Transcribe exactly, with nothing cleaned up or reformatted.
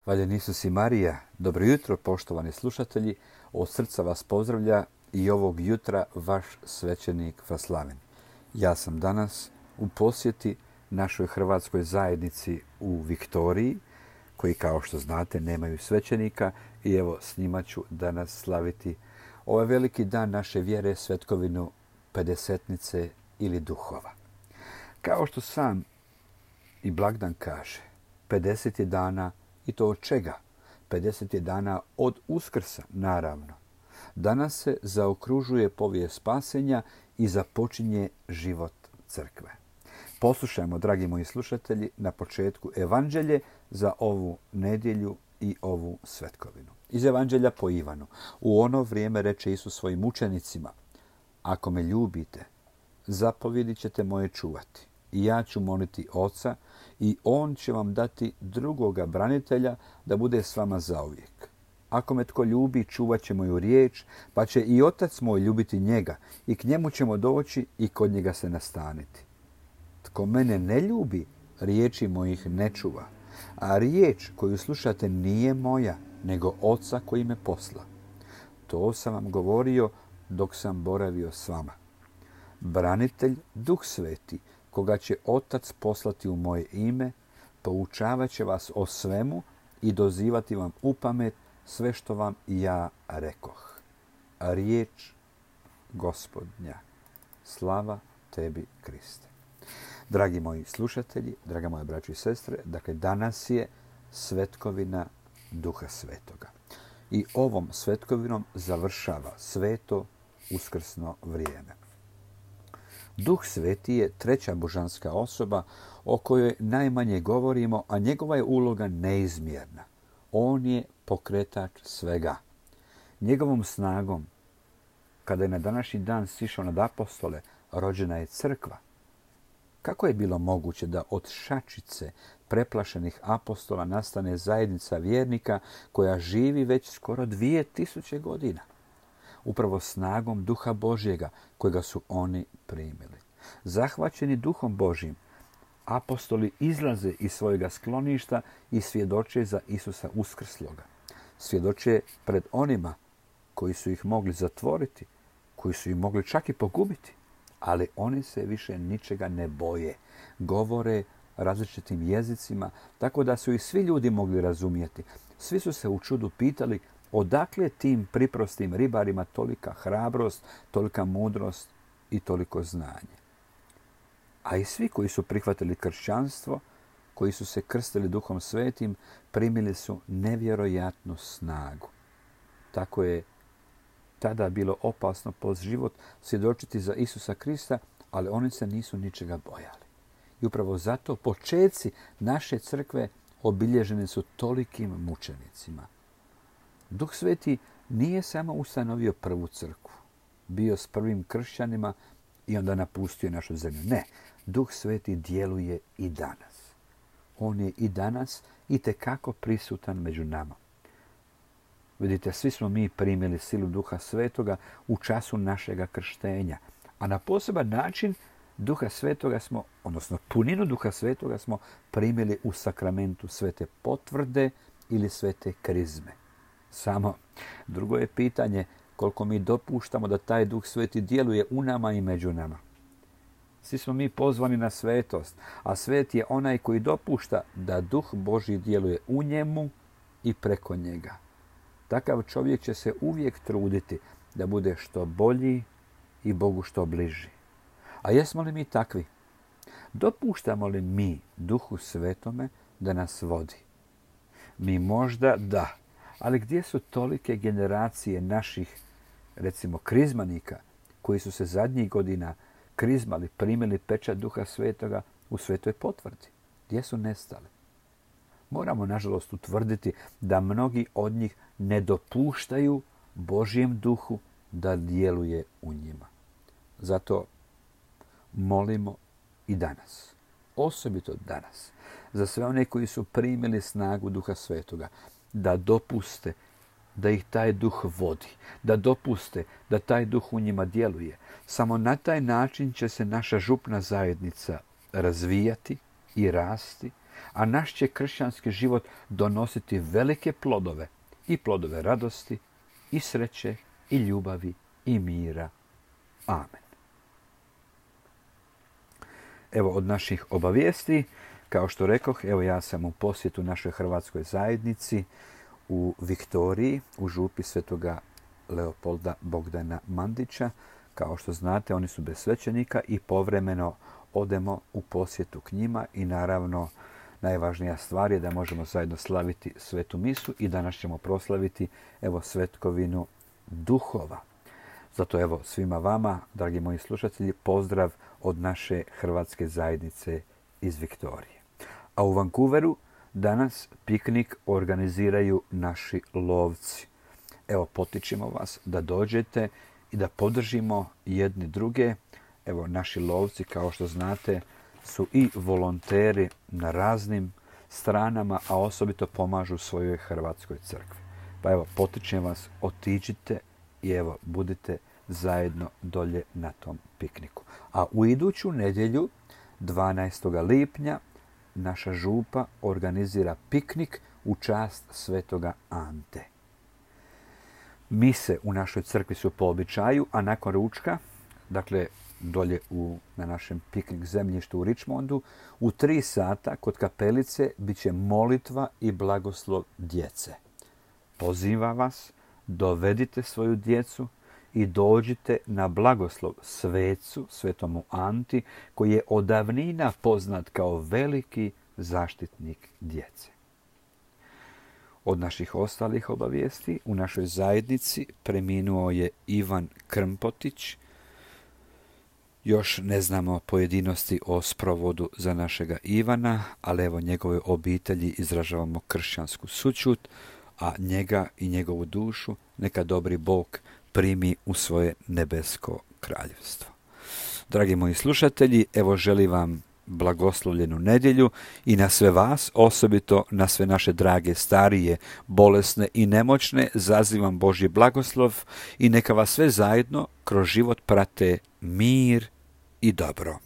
Hvaljen Isus i Marija, dobro jutro poštovani slušatelji, od srca vas pozdravlja i ovog jutra vaš svećenik Vaslaven. Ja sam danas u posjeti našoj hrvatskoj zajednici u Viktoriji, koji kao što znate nemaju svećenika i evo s njima ću danas slaviti ovaj veliki dan naše vjere, svetkovinu Pedesetnice ili duhova. Kao što sam i blagdan kaže, pedeset je dana. I to od čega? pedeset je dana od Uskrsa, naravno. Danas se zaokružuje povijest spasenja i započinje život crkve. Poslušajmo, dragi moji slušatelji, na početku evanđelje za ovu nedjelju i ovu svetkovinu. Iz evanđelja po Ivanu. U ono vrijeme reče Isus svojim učenicima: ako me ljubite, zapovjedi ćete moje čuvati. I ja ću moliti Oca i On će vam dati drugoga branitelja da bude s vama zauvijek. Ako me tko ljubi, čuvat će moju riječ, pa će i Otac moj ljubiti njega i k njemu ćemo doći i kod njega se nastaniti. Tko mene ne ljubi, riječi mojih ne čuva. A riječ koju slušate nije moja, nego Oca koji me posla. To sam vam govorio dok sam boravio s vama. Branitelj, Duh Sveti, koga će Otac poslati u moje ime, poučavat će vas o svemu i dozivati vam u pamet sve što vam ja rekoh. Riječ Gospodnja. Slava tebi, Kriste. Dragi moji slušatelji, draga moja braćo i sestre, dakle danas je svetkovina Duha Svetoga. I ovom svetkovinom završava sveto uskrsno vrijeme. Duh Sveti je treća božanska osoba o kojoj najmanje govorimo, a njegova je uloga neizmjerna. On je pokretač svega. Njegovom snagom, kada je na današnji dan sišao nad apostole, rođena je crkva. Kako je bilo moguće da od šačice preplašenih apostola nastane zajednica vjernika koja živi već skoro dvije tisuće godina? Upravo snagom Duha Božjega kojega su oni primili. Zahvaćeni Duhom Božjim, apostoli izlaze iz svojega skloništa i svjedoče za Isusa uskrsloga. Svjedoče pred onima koji su ih mogli zatvoriti, koji su ih mogli čak i pogubiti, ali oni se više ničega ne boje. Govore različitim jezicima, tako da su ih svi ljudi mogli razumjeti. Svi su se u čudu pitali odakle tim priprostim ribarima tolika hrabrost, tolika mudrost i toliko znanje. A i svi koji su prihvatili kršćanstvo, koji su se krstili Duhom Svetim, primili su nevjerojatnu snagu. Tako je tada bilo opasno po život svjedočiti za Isusa Krista, ali oni se nisu ničega bojali. I upravo zato počeci naše crkve obilježeni su tolikim mučenicima. Duh Sveti nije samo ustanovio prvu crkvu, bio s prvim kršćanima i onda napustio našu zemlju. Ne, Duh Sveti djeluje i danas. On je i danas itekako prisutan među nama. Vidite, svi smo mi primili silu Duha Svetoga u času našega krštenja, a na poseban način Duha Svetoga smo, odnosno puninu Duha Svetoga smo primili u sakramentu svete potvrde ili svete krizme. Samo drugo je pitanje koliko mi dopuštamo da taj Duh Sveti djeluje u nama i među nama. Svi smo mi pozvani na svetost, a svet je onaj koji dopušta da Duh Božji djeluje u njemu i preko njega. Takav čovjek će se uvijek truditi da bude što bolji i Bogu što bliži. A jesmo li mi takvi? Dopuštamo li mi Duhu Svetome da nas vodi? Mi možda da. Ali gdje su tolike generacije naših, recimo, krizmanika koji su se zadnjih godina krizmali, primili pečat Duha Svetoga u svetoj potvrdi? Gdje su nestali? Moramo, nažalost, utvrditi da mnogi od njih ne dopuštaju Božjem Duhu da djeluje u njima. Zato molimo i danas, osobito danas, za sve one koji su primili snagu Duha Svetoga, da dopuste da ih taj Duh vodi, da dopuste da taj Duh u njima djeluje. Samo na taj način će se naša župna zajednica razvijati i rasti, a naš će kršćanski život donositi velike plodove, i plodove radosti, i sreće, i ljubavi, i mira. Amen. Evo od naših obavijesti, kao što rekoh, evo ja sam u posjetu našoj hrvatskoj zajednici u Viktoriji, u župi svetoga Leopolda Bogdana Mandića. Kao što znate, oni su bez svećenika i povremeno odemo u posjetu k njima i naravno najvažnija stvar je da možemo zajedno slaviti svetu misu i danas ćemo proslaviti evo svetkovinu duhova. Zato evo svima vama, dragi moji slušatelji, pozdrav od naše hrvatske zajednice iz Viktorije. A u Vancouveru danas piknik organiziraju naši lovci. Evo potičemo vas da dođete i da podržimo jedni druge. Evo naši lovci, kao što znate, su i volonteri na raznim stranama, a osobito pomažu svojoj hrvatskoj crkvi. Pa evo, potičem vas, otiđite i evo, budite zajedno dolje na tom pikniku. A u iduću nedjelju, dvanaestog lipnja, naša župa organizira piknik u čast svetoga Ante. Mise u našoj crkvi su po običaju, a nakon ručka, dakle dolje u, na našem piknik zemljištu u Richmondu, u tri sata kod kapelice bit će molitva i blagoslov djece. Pozivam vas, dovedite svoju djecu i dođite na blagoslov svecu, svetomu Anti, koji je od davnina poznat kao veliki zaštitnik djece. Od naših ostalih obavijesti u našoj zajednici preminuo je Ivan Krmpotić. Još ne znamo pojedinosti o sprovodu za našega Ivana, ali evo njegove obitelji izražavamo kršćansku sućut, a njega i njegovu dušu neka dobri Bog primi u svoje nebesko kraljevstvo. Dragi moji slušatelji, evo želim vam blagoslovljenu nedjelju i na sve vas, osobito na sve naše drage starije, bolesne i nemoćne, zazivam Božji blagoslov i neka vas sve zajedno kroz život prate mir i dobro.